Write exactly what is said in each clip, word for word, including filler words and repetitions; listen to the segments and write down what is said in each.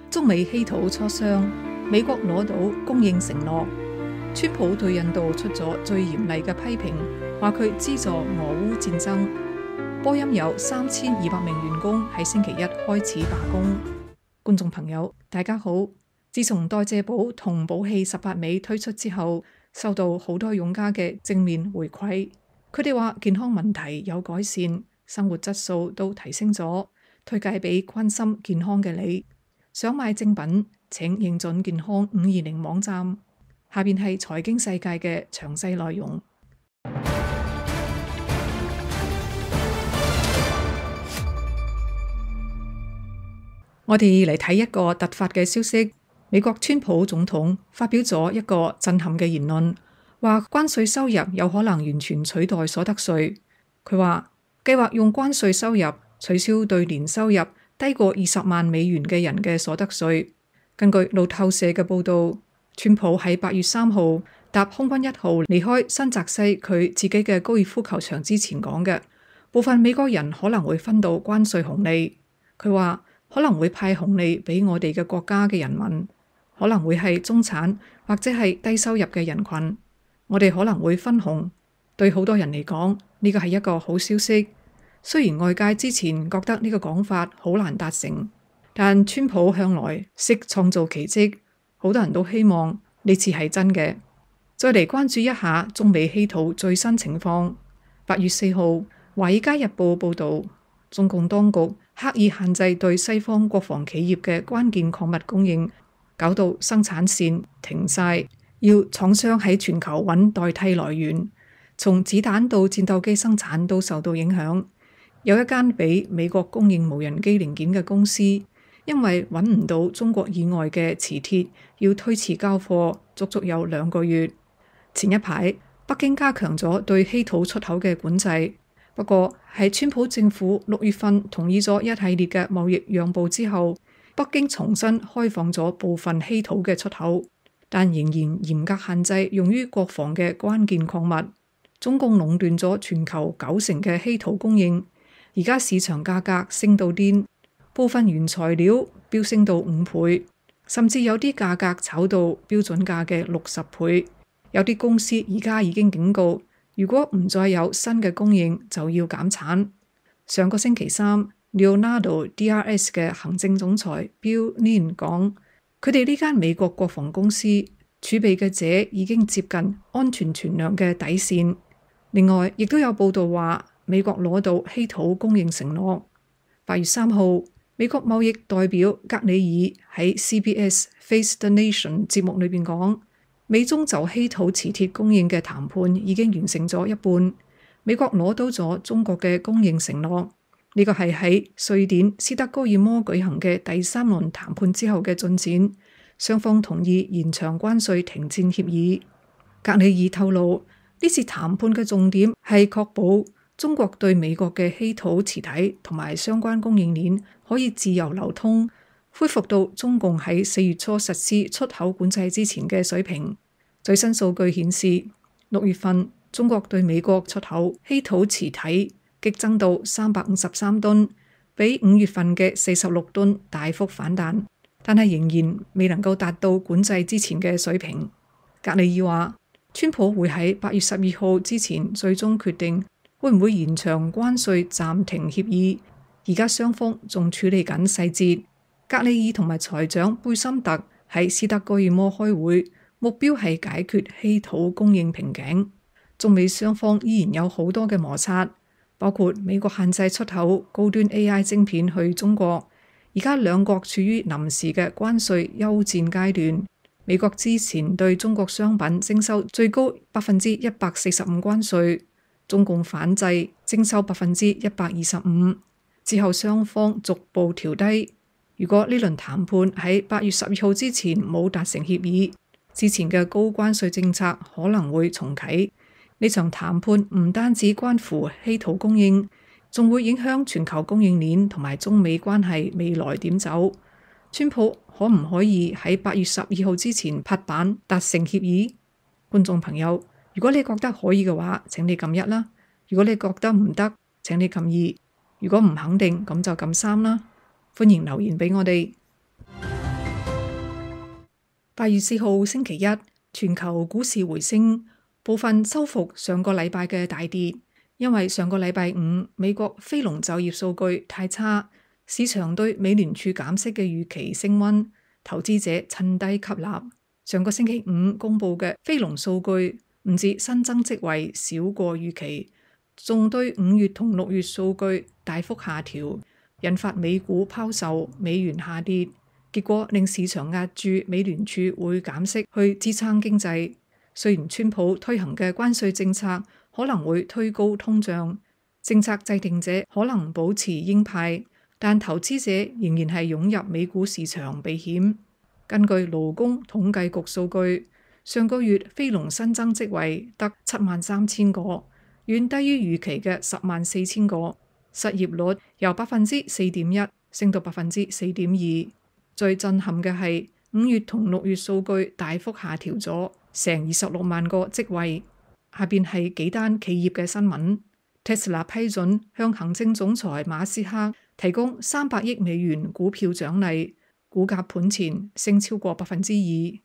中美稀土磋商，美國攞到供應承諾。川普對印度出咗最嚴厲嘅批評，話佢資助俄烏戰爭。波音有三千二百名員工喺星期一開始罷工。觀眾朋友，大家好。自從代謝寶同寶氣十八尾推出之後，收到好多用家嘅正面回饋。佢哋話健康問題有改善，生活質素都提升咗，推介俾關心健康嘅你。想買正品，請認準健康五二零網站。下邊係財經世界嘅詳細內容。我哋嚟睇一個突發嘅消息。美國川普總統發表咗一個震撼嘅言論，話關稅收入有可能完全取代所得稅。佢話計劃用關稅收入取消對年收入低過二十萬美元嘅人嘅所得稅。根據路透社嘅報道，川普喺八月三號搭空軍一號離開新澤西佢自己嘅高爾夫球場之前講嘅，部分美國人可能會分到關稅紅利。佢話可能會派紅利俾我哋嘅國家嘅人民，可能會係中產或者係低收入嘅人群，我哋可能會分紅。對好多人嚟講，呢個係一個好消息。雖然外界之前覺得呢個講法好難達成，但川普向來識創造奇蹟，好多人都希望呢次係真嘅。再嚟關注一下中美稀土最新情況。八月四號，《華爾街日報》報道，中共當局刻意限制對西方國防企業嘅關鍵礦物供應，搞到生產線停晒，要廠商喺全球揾代替來源，從子彈到戰鬥機生產都受到影響。有一間俾美國供應無人機零件嘅公司，因為揾唔到中國以外嘅磁鐵，要推遲交貨，足足有兩個月。前一排，北京加強咗對稀土出口嘅管制，不過喺川普政府六月份同意咗一系列嘅貿易讓步之後，北京重新開放咗部分稀土嘅出口，但仍然嚴格限制用於國防嘅關鍵礦物。中共壟斷咗全球九成嘅稀土供應。而家市場價格升到癲，部分原材料飆升到五倍，甚至有啲價格炒到標準價嘅六十倍。有啲公司而家已經警告，如果唔再有新嘅供應，就要減產。上個星期三，Leonardo D R S 嘅行政總裁 Bill Lin 講，佢哋呢間美國國防公司儲備嘅鍺已經接近安全存量嘅底線。另外，亦都有報道話，美國攞到稀土供應承諾。八月三號，美國貿易代表格里爾喺 C B S Face the Nation 節目裏邊講，美中就稀土磁鐵供應嘅談判已經完成咗一半，美國攞到咗中國嘅供應承諾。呢個係喺瑞典斯德哥爾摩舉行嘅第三輪談判之後嘅進展，雙方同意延長關稅停戰協議。格里爾透露，呢次談判嘅重點係確保中國對美國嘅稀土磁體同埋相關供應鏈可以自由流通，恢復到中共喺四月初實施出口管制之前嘅水平。最新數據顯示，六月份中國對美國出口稀土磁體激增到三百五十三噸，比五月份嘅四十六噸大幅反彈，但係仍然未能夠達到管制之前嘅水平。格里爾話，川普會喺八月十二號之前最終決定會唔會延長關稅暫停協議，而家雙方仲處理緊細節。格里爾同埋財長貝森特喺斯德哥爾摩開會，目標係解決稀土供應瓶頸。中美雙方依然有好多嘅摩擦，包括美國限制出口高端 A I 晶片去中國，而家兩國處於臨時嘅關稅休戰階段。美國之前對中國商品徵收最高百分之一百四十五關稅。中共反制徵收百分之一百二十五，之後雙方逐步調低。如果呢輪談判喺八月十二號之前冇達成協議，之前嘅高關稅政策可能會重啟。呢場談判唔單止關乎稀土供應，仲會影響全球供應鏈同埋中美關係未來點走。川普可唔可以喺八月十二號之前拍板達成協議？觀眾朋友，如果你覺得可以嘅話，請你撳一啦；如果你覺得唔得，請你撳二；如果唔肯定，咁就撳三啦。歡迎留言俾我哋。八月四號星期一，全球股市回升，部分收復上個禮拜嘅大跌，因為上個禮拜五美國非農就業數據太差，市場對美聯儲減息嘅預期升溫，投資者趁低吸納。上個星期五公布嘅非農數據唔止新增職位少過預期，仲對五月同六月數據大幅下調，引發美股拋售，美元下跌。結果令市場押注美聯儲會減息去支撐經濟。雖然川普推行嘅關稅政策可能會推高通脹，政策制定者可能保持鷹派，但投資者仍然係湧入美股市場避險。根據勞工統計局數據，上個月非農新增職位得七萬三千個，遠低於預期嘅十萬四千個。失業率由百分之四點一升到百分之四點二。最震撼嘅係五月同六月數據大幅下調咗成二十六萬個職位。下邊係幾單企業嘅新聞。Tesla 批准向行政總裁馬斯克提供三百億美元股票獎勵，股價盤前升超過百分之二。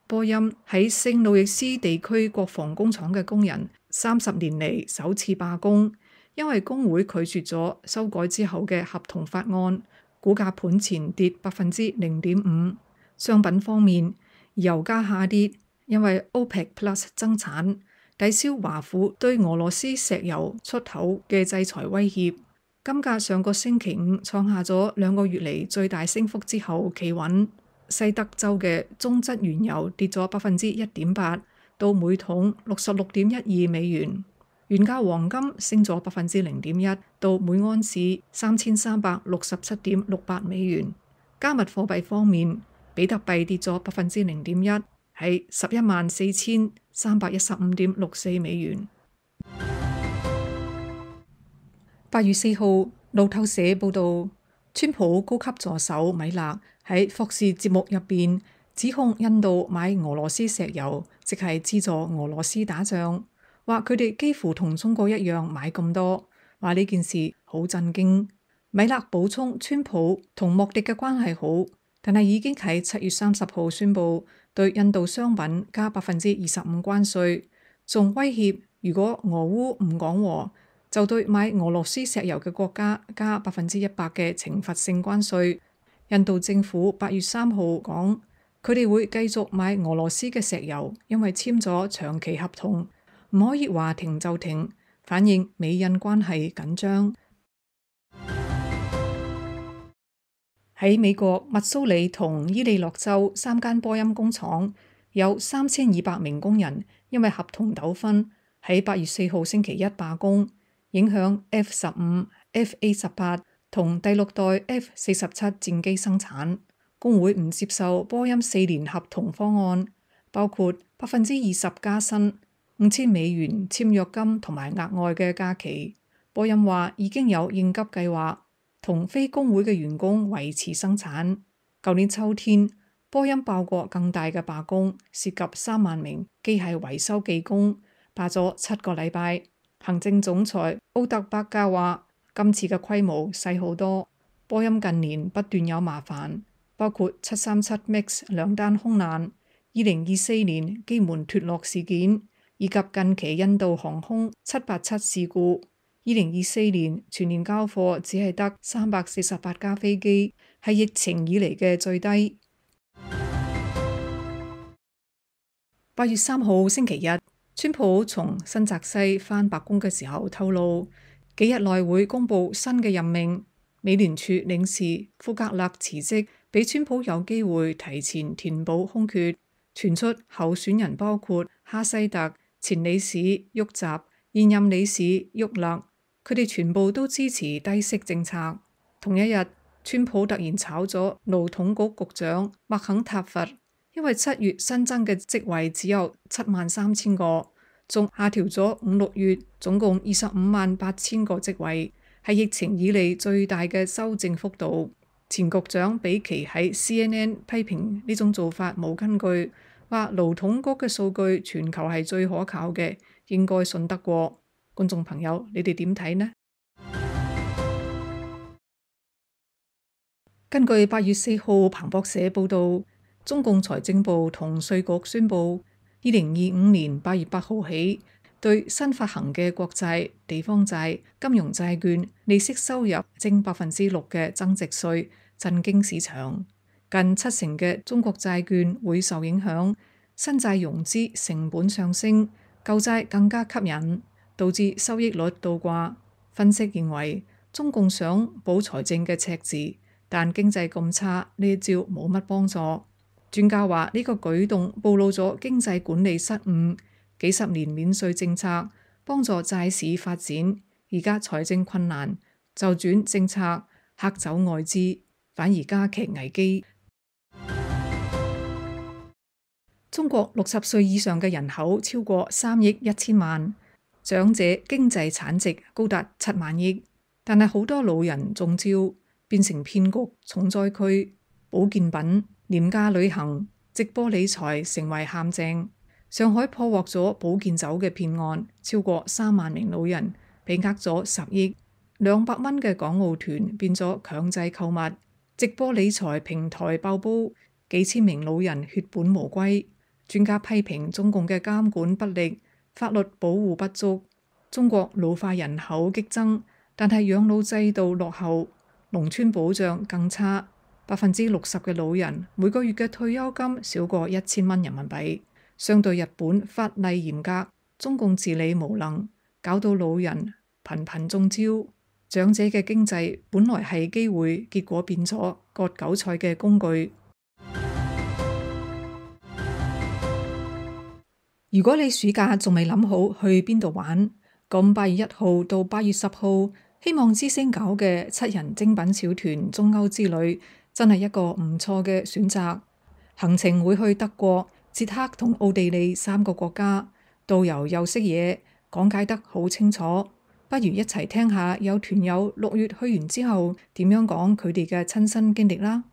波音喺聖路易斯地區國防工廠嘅工人三十年嚟首次罷工，因為工會拒絕咗修改之後嘅合同法案。股價盤前跌百分之零點五。商品方面，油價下跌，因為 OPEC Plus 增產，抵消華府對俄羅斯石油出口嘅制裁威脅。金價上個星期五創下咗兩個月嚟最大升幅之後企穩。西德州嘅中質原油跌咗百分之一點八，到每桶六十六點一二美元。原價黃金升咗百分之零點一，到每安士三千三百六十七點六八美元。加密貨幣方面，比特幣跌咗百分之零點一，係十一萬四千三百一十五點六四美元。八月四號，路透社報道，川普高級助手米勒喺霍士節目入邊指控印度買俄羅斯石油，即係資助俄羅斯打仗。話佢哋幾乎同中國一樣買咁多，話呢件事好震驚。米勒補充，川普同莫迪嘅關係好，但係已經喺七月三十號宣布對印度商品加百分之二十五關稅，仲威脅如果俄烏唔講和，就對買俄羅斯石油嘅國家加百分之一百嘅懲罰性關稅。印度政府八月三號講，佢哋會繼續買俄羅斯嘅石油，因為簽咗長期合同。唔可以話停就停，反映美印關係緊張。喺美國密蘇里同伊利諾州三間波音工廠，有三千二百名工人因為合同糾紛喺八月四號星期一罷工，影響 F 十五、F A 十八同第六代 F 四十七戰機生產。工會唔接受波音四年合同方案，包括百分之二十加薪、五千美元簽約金同埋額外嘅假期。波音話已經有應急計劃，同非工會嘅員工維持生產。舊年秋天，波音爆過更大嘅罷工，涉及三萬名機械維修技工，罷咗七個禮拜。行政總裁奧特伯格話：今次嘅規模細好多。波音近年不斷有麻煩，包括七三七 MAX 兩單空難、二零二四年機門脫落事件，以及近期印度航空七八七事故。二零二四年全年交貨只係得三百四十八架飛機，係疫情以嚟嘅最低。八月三號星期日，川普從新澤西返白宮嘅時候透露，幾日內會公布新嘅任命。美聯儲領事庫格勒辭職，俾川普有機會提前填補空缺。傳出候選人包括哈西特、前理事沃澤、現任理事沃勒，佢哋全部都支持低息政策。同一日，川普突然炒咗勞統局局長麥肯塔佛，因為七月新增嘅職位只有七萬三千個，仲下調咗五六月總共二十五萬八千個職位，係疫情以嚟最大嘅修正幅度。前局長比奇喺 C N N 批評呢種做法冇根據，話勞統局嘅數據全球係最可靠嘅，應該信得過。觀眾朋友，你哋點睇呢？根據八月四號彭博社報道，中共財政部同稅局宣布，二零二五年八月八號起，對新發行嘅國債、地方債、金融債券利息收入徵百分之六嘅增值稅，震驚市場。近七成嘅中國債券會受影響，新債融資成本上升，舊債更加吸引，導致收益率倒掛。分析認為，中共想補財政嘅赤字，但經濟咁差，呢一招冇乜幫助。專家話呢個舉動暴露咗經濟管理失誤，幾十年免稅政策幫助債市發展，而家財政困難就轉政策嚇走外資，反而加劇危機。中國六十歲以上嘅人口超過三億一千萬，長者經濟產值高達七萬億，但係好多老人中招，變成騙局重災區。保健品、廉價旅行、直播理財成為陷阱。上海破獲咗保健酒嘅騙案，超過三萬名老人被呃咗十億，兩百蚊嘅港澳團變咗強制購物。直播理財平台爆煲，幾千名老人血本無歸。專家批評中共嘅監管不力，法律保護不足。中國老化人口激增，但係養老制度落後，農村保障更差。百分之六十嘅老人每個月嘅退休金少過一千蚊人民幣。相對日本法例嚴格，中共治理無能，搞到老人頻頻中招。長者嘅經濟本來係機會，結果變咗割韭菜嘅工具。如果你暑假仲未諗好去邊度玩，咁八月一號到八月十號，希望之星搞嘅七人精品小團中歐之旅真係一個唔錯嘅選擇。行程會去德國、捷克同奧地利三個國家，導遊又識嘢，講解得好清楚。不如一齊聽下有團友六月去完之後點樣講佢哋嘅親身經歷啦。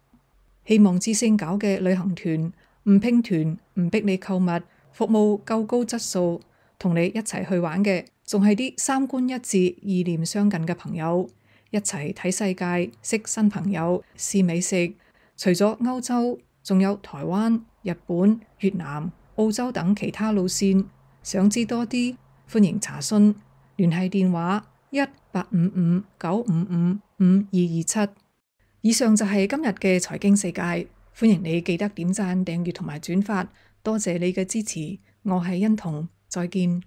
希望之星搞嘅旅行團唔拼團，唔逼你購物，服務夠高質素，同你一齊去玩嘅仲係啲三觀一致、意念相近嘅朋友，一齊睇世界、識新朋友、試美食。除咗歐洲，仲有台灣、日本、越南、澳洲等其他路線。想知多啲，歡迎查詢，聯繫電話一八五五九五五五二二七。以上就係今日嘅財經世界，歡迎你記得點讚、訂閱同埋轉發，多謝你嘅支持。我係欣彤，再見。